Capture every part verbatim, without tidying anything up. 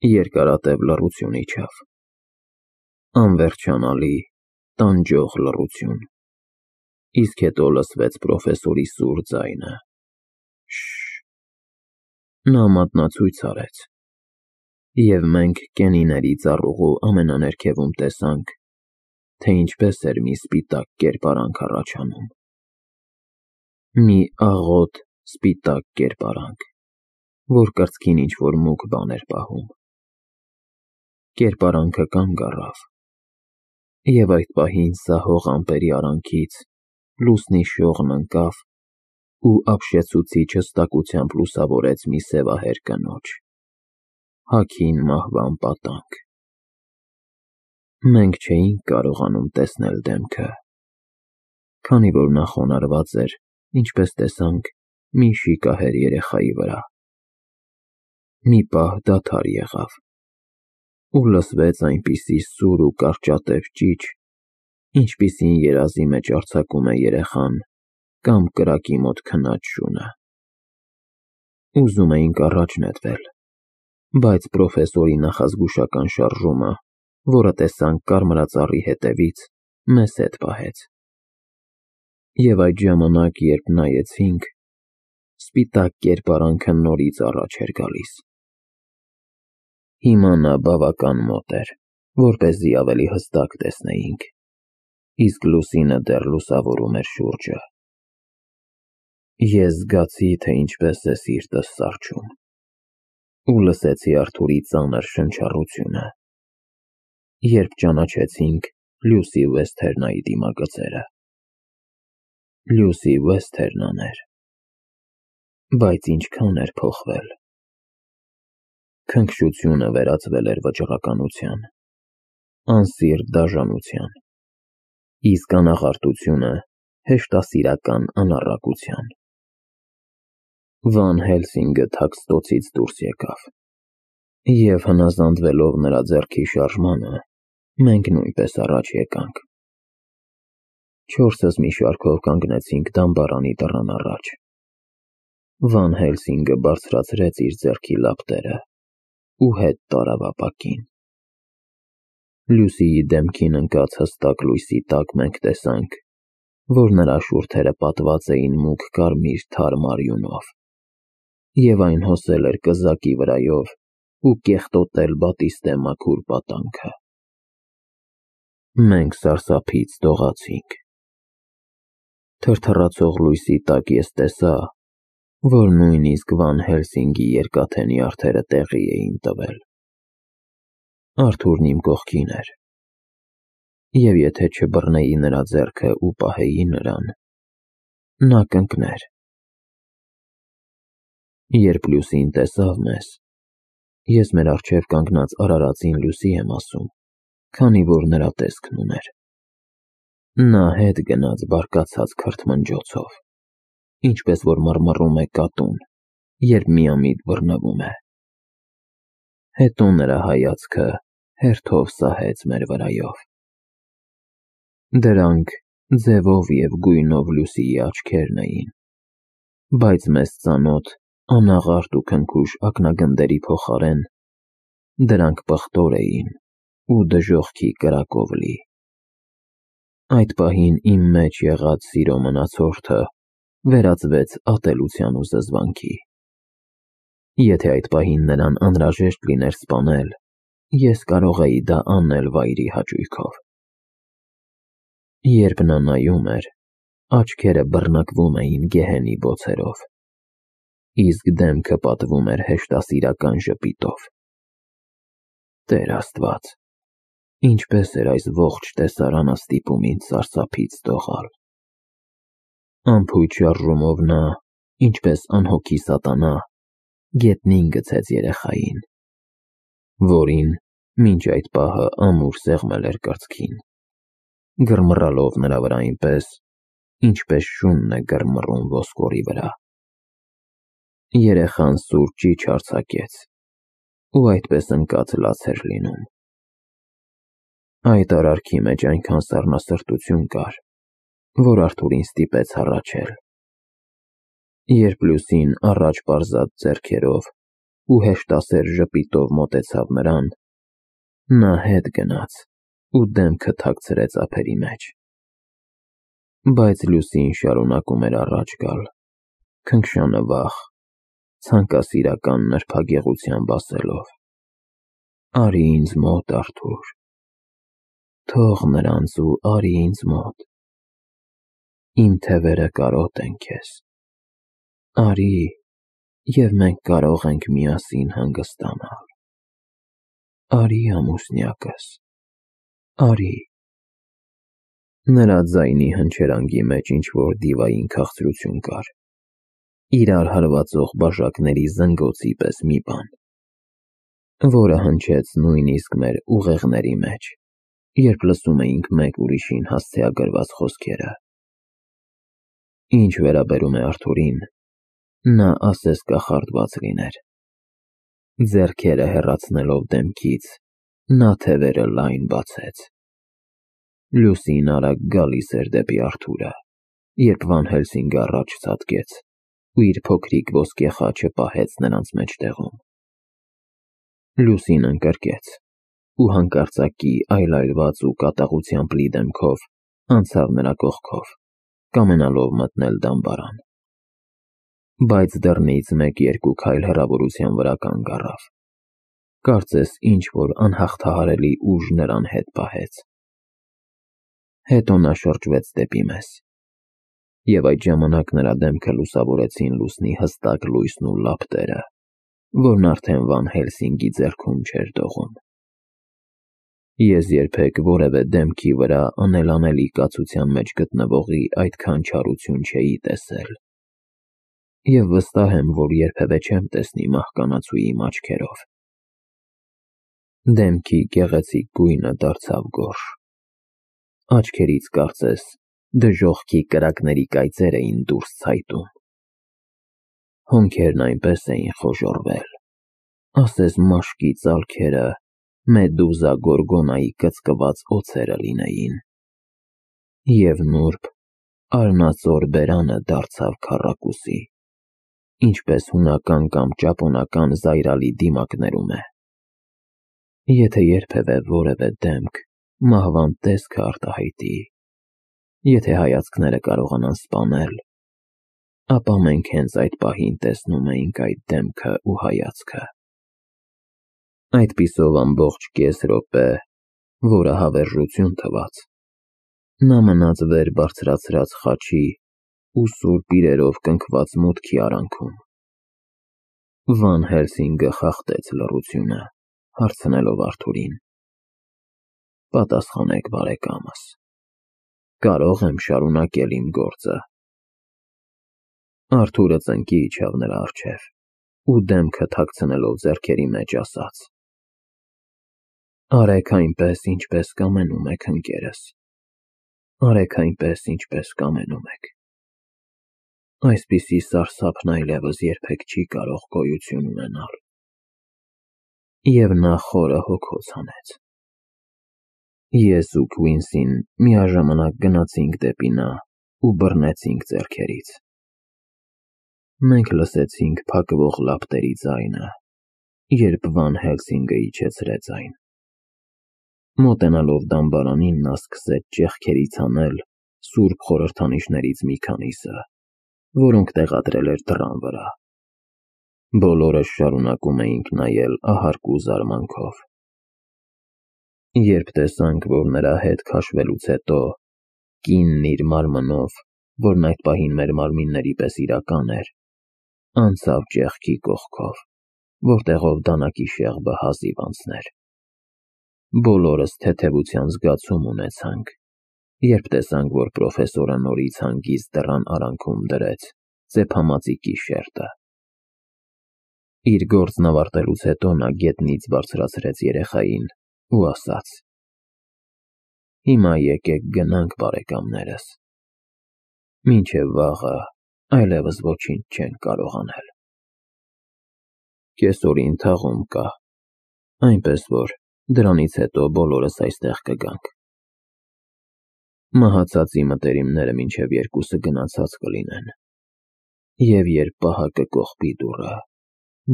Երկարատև լռություն իջավ, անվերջանալի, տանջող լռություն, իսկ հետո լսվեց պրոֆեսորի սուր ձայնը. «Շշ»։ Նա մատնացույց արեց, և մենք կենիների ծառուղու ամենաներքևում տեսանք, թե ինչպես էր մի սպիտակ կերպարանք առաջանում, մի աղոտ սպիտակ կերպարանք, որ կրծքին ինչ-որ մուգ բան էր պահում։ Կերպարանքը կանգ առավ, և այդ պահին սահող ամպերի արանքից լուսնի շողն ընկավ ու ապշեցուցիչ հստակությամբ լուսավորեց մի սևահեր կնոջ, հագին մահվան պատանք։ Մենք չէինք կարողանում տեսնել դեմքը, քանի որ նա խոնարհված էր, ինչպես տեսանք, մի շիկահեր երեխայի վրա։ Մի պահ դադար եղավ, ու լսվեց այնպիսի սուր ու կարճատև ճիչ, ինչպիսին երազի մեջ արձակում է երեխան կամ կրակի մոտ քնած շունը։ Ուզում էինք առաջ նետվել, բայց պրոֆեսորի նախազգուշական շարժումը, որը տեսանք կարմրածառի հետևից, մեզ հետ պահեց։ Եվ այդ ժամանակ, երբ նայեցինք, սպիտակ կերպարանքը նորից առաջ էր գալիս։ Հիմա նա բավական մոտ էր, որպեսզի ավելի հստակ տեսնեինք, իսկ լուսինը դեռ լուսավորում էր շուրջը։ Ես զգացի, թե ինչպես է սիրտս սառչում, ու լսեցի Արթուրի ծանր շնչառությունը, երբ ճանաչեցինք Լյուսի Վեսթերնայի դիմագծերը։ Լյուսի Վեսթերնան էր, բայց ինչքան էր փոխվել։ Քնքշությունը վերածվել էր վճռականության, անսիրտ դաժանության, իսկ անաղարտությունը հեշտասիրական անառակության։ Վան Հելսինգը թաքստոցից դուրս եկավ, և հնազանդվելով նրա ձեռքի շարժմանը, մենք նույնպես առաջ եկանք։ Չորսս մի շարքով կանգնեցինք դամբարանի դռան առաջ։ Վան Հելսինգը բարձրացրեց իր ձեռքի լապտերը ու հետ տարավ ապակին։ Լյուսիի դեմքին ընկած հստակ լույսի տակ մենք տեսանք, որ նրա շուրթերը պատված էին մուգ կարմիր թարմ արյունով, և այն հոսել էր կզակի վրայով ու կեղտոտել բատիստե մաքուր պատանքը։ Մենք սարսափից դողացինք։ Թրթռացող լույսի տակ ես տեսա, որ նույնիսկ Վան Հելսինգի երկաթե նյարդերը տեղի էին տվել։ Արթուրն իմ կողքին էր, և եթե չբռնեի նրա ձեռքը ու պահեի նրան, նա կընկներ։ Երբ Լյուսին տեսավ մեզ, ես մեր առջև կանգնած արարածին Լյուսի եմ ասում, քանի որ նրա տեսքն ուներ, նա հետ գնաց բարկացած քրթմնջոցով, ինչպես որ մռմռում է կատուն, երբ միամիտ բռնվում է։ Հետո նրա հայացքը հերթով սահեց մեր վրայով։ Դրանք ձևով և գույնով Լյուսիի աչքերն էին, բայց մեզ ծանոթ անաղարտ ու քնքուշ ակնագնդերի փոխարեն դրանք պղտոր էին ու դժոխքի կրակով լի։ Այդ պահին իմ մեջ եղած սիրո մնացորդը վերածվեց ատելության ու զզվանքի։ Եթե այդ պահին նրան անհրաժեշտ լիներ սպանել, ես կարող էի դա անել վայրի հաճույքով։ Երբ նա նայում էր, աչքերը բռնկվում էին գեհենի բոցերով, իսկ դեմքը պատվում էր հեշտասիրական ժպիտով։ Տեր Աստված, ինչպես էր այս ողջ տեսարանը ստիպում ինձ սարսափից դողալ։ Անփույթ շարժումով նա, ինչպես անհոգի սատանա, գետնին գցեց երեխային, որին մինչ այդ պահը ամուր սեղմել էր կրծքին, գրմռալով նրա վրա այնպես, ինչպես շունն է գրմռում ոսկորի վրա։ Երեխան սուր ճիչ արձակեց, ու այդպես ընկած լաց էր լինում։ Այդ արարքի մեջ այնքան սառնասրտություն կար, որ Արթուրին ստիպեց հառաչել։ Երբ Լյուսին առաջ պարզած ձեռքերով ու հեշտասեր ժպիտով մոտեցավ նրան, նա հետ գնաց ու դեմքը թաքցրեց ափերի մեջ։ Բայց Լուսին շարունակում էր առաջ գալ, քնքշանվախ, ցանկասիրական նրբագեղությամբ ասելով. «Արի ինձ մոտ, Արթուր, թող նրանց ու արի ինձ մոտ, իմ թևերը կարոտ են քեզ, արի, և մենք կարող ենք միասին հանգստանալ, արի ամուսնյակս, արի»։ Նրա ձայնի հնչերանգի մեջ ինչ-որ դիվային քաղցրություն կար, իրար հարվածող բաժակների զնգոցի պես մի բան, որը հնչեց նույնիսկ մեր ուղեղների մեջ, երբ լսում էինք մեկ ուրիշին հասցեագրված խոսքերը։ Ինչ վերաբերում է Արթուրին, նա ասես կախարդված լիներ։ Ձեռքերը հեռացնելով դեմքից, նա թևերը լայն բացեց։ Լուսին արագ գալիս էր դեպի Արթուրը, երբ Վան Հելսինգը առաջ ցատկեց ու իր փոքրիկ ոսկե խաչը պահեց նրանց մեջտեղում։ Լուսին ընկրկեց ու հանկարծակի այլայլված ու կատաղությամբ լի դեմքով անցավ նրա կողքով, կամենալով մտնել դամբարան։ Բայց դռնից մեկ-երկու քայլ հեռավորության վրա կանգ առավ, կարծես ինչ-որ անհաղթահարելի ուժ նրան հետ պահեց։ Հետո նա շրջվեց դեպի մեզ, և այդ ժամանակ նրա դեմքը լուսավորեցին լուսնի հստակ լույսն ու լապտերը, որն արդեն Վան Հելսինգի ձեռքում չէր դողում։ Ես երբեք որևէ դեմքի վրա անելանելի կացության մեջ գտնվողի այդքան չարություն չէի տեսել, և վստահ եմ, որ երբևէ չեմ տեսնի մահկանացուի իմ աչքերով։ Դեմքի գեղեցիկ գույնը դարձավ գորշ, աչքերից կարծես դժոխքի կրակների կայծեր էին դուրս ցայտում։ Հոնքերն այնպես էին խոժոռվել, ասես մաշկի ծալքերը Մեդուզա Գորգոնայի կծկված օձերը լինեին, և նուրբ, արնածոր բերանը դարձավ քառակուսի, ինչպես հունական կամ ճապոնական զայրալի դիմակներում է։ Եթե երբևէ որևէ դեմք մահվան տեսքը արտահայտի, եթե հայացքները կարողանան սպանել, ապա մենք հենց այդ պահին տեսնում էինք այդ դեմքը ու հայացքը։ Այդպիսով ամբողջ կես րոպե, որը հավերժություն թվաց, նա մնաց վեր բարձրացրած խաչի ու սուրբ իրերով կնքված մուտքի արանքում։ Վան Հելսինգը խախտեց լռությունը, հարցնելով Արթուրին. «Պատասխանեք, բարեկամս, կարո՞ղ եմ շարունակել իմ գործը»։ Արթուրը ծնկի իջավ նրա առջև ու դեմքը թաքցնելով ձեռքերի մեջ ասաց. «Արեք այնպես, ինչպես կամենում եք, ընկերս, արեք այնպես, ինչպես կամենում եք։ Այսպիսի սարսափն այլևս երբեք չի կարող գոյություն ունենալ»։ Եվ նա խորը հոգոց հանեց։ Ես ու Քվինսին միաժամանակ գնացինք դեպի նա ու բռնեցինք ձեռքերից։ Մենք լսեցինք փակվող լապտերի ձայնը, երբ Վան Հելսինգը իջեցրեց այն։ Մոտենալով դամբարանին, նա սկսեց ճեղքերից հանել սուրբ խորհրդանիշներից մի քանիսը, որոնք տեղադրել էր դռան վրա։ Բոլորս շարունակում էինք նայել ահարկու զարմանքով։ Երբ տեսանք, որ նրա հետ քաշվելուց հետո կինն իր մարմնով, որն այդ պահին մեր մարմինների պես իրական էր, անցավ ճեղքի կողքով, որտեղով դանակի շեղբը հազիվ անցներ, բոլորս թեթևության զգացում ունեցանք, երբ տեսանք, որ պրոֆեսորը նորից հանգիստ դռան արանքում դրեց ծեփամածիկի շերտը։ Իր գործն ավարտելուց հետո նա գետնից բարձրացրեց երեխային ու ասաց. «Հիմա եկեք գնանք, բարեկամներս, մինչև վաղը այլևս ոչինչ չենք կարող անել։ Կեսօրին թաղում կա, այնպես որ դրանից հետո բոլորս այստեղ կգանք։ Մահացածի մտերիմները մինչև երկուսը գնացած կլինեն, և երբ պահակը կողպի դուռը,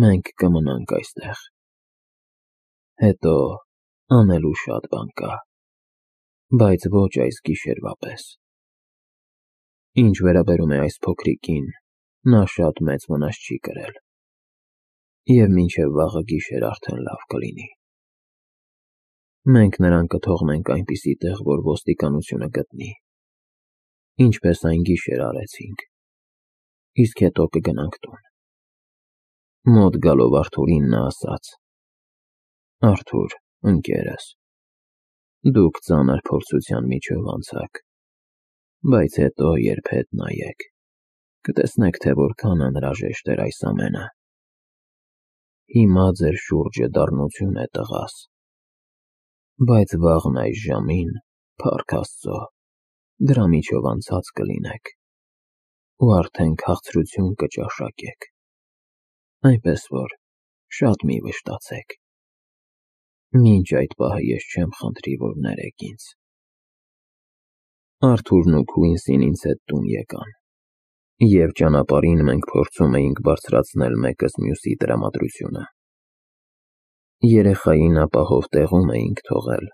մենք կմնանք այստեղ։ Հետո անելու շատ բան կա, բայց ոչ այս գիշերվա պես։ Ինչ վերաբերում է այս փոքրիկին, նա շատ մեծ վնաս չի կրել, և մինչև վաղը գիշեր արդեն լավ կլինի։ Մենք նրան կթողնենք այնպիսի տեղ, որ ոստիկանությունը գտնի, ինչպես այն գիշեր արեցինք, իսկ հետո կգնանք տուն։ Մոտ գալով Արթուրին նա ասաց. «Արթուր, ընկերս, դուք ծանր փորձության միջով անցաք, բայց հետո երբ հետ նայեք, կտեսնեք, թե որքան անհրաժեշտ էր այս ամենը։ Հիմա ձեր շուրջը դառնություն է, տղաս, բայց վաղն այս ժամին, փառք Աստծո, դրա միջով անցած կլինեք ու արդեն քաղցրություն կճաշակեք, այնպես որ շատ մի վշտացեք։ Մինչ այդ պահը ես չեմ խնդրի, որ ներեք ինձ»։ Արթուրն ու Քուինսին ինձ հետ տուն եկան, և ճանապարհին մենք փորձում էինք բարձրացնել մեկս մյուսի տրամադրությունը։ Երեխային ապահով տեղում էինք թողել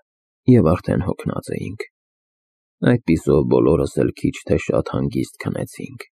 և արդեն հոգնած էինք, այդպիսով բոլորս էլ քիչ թե շատ հանգիստ քնեցինք։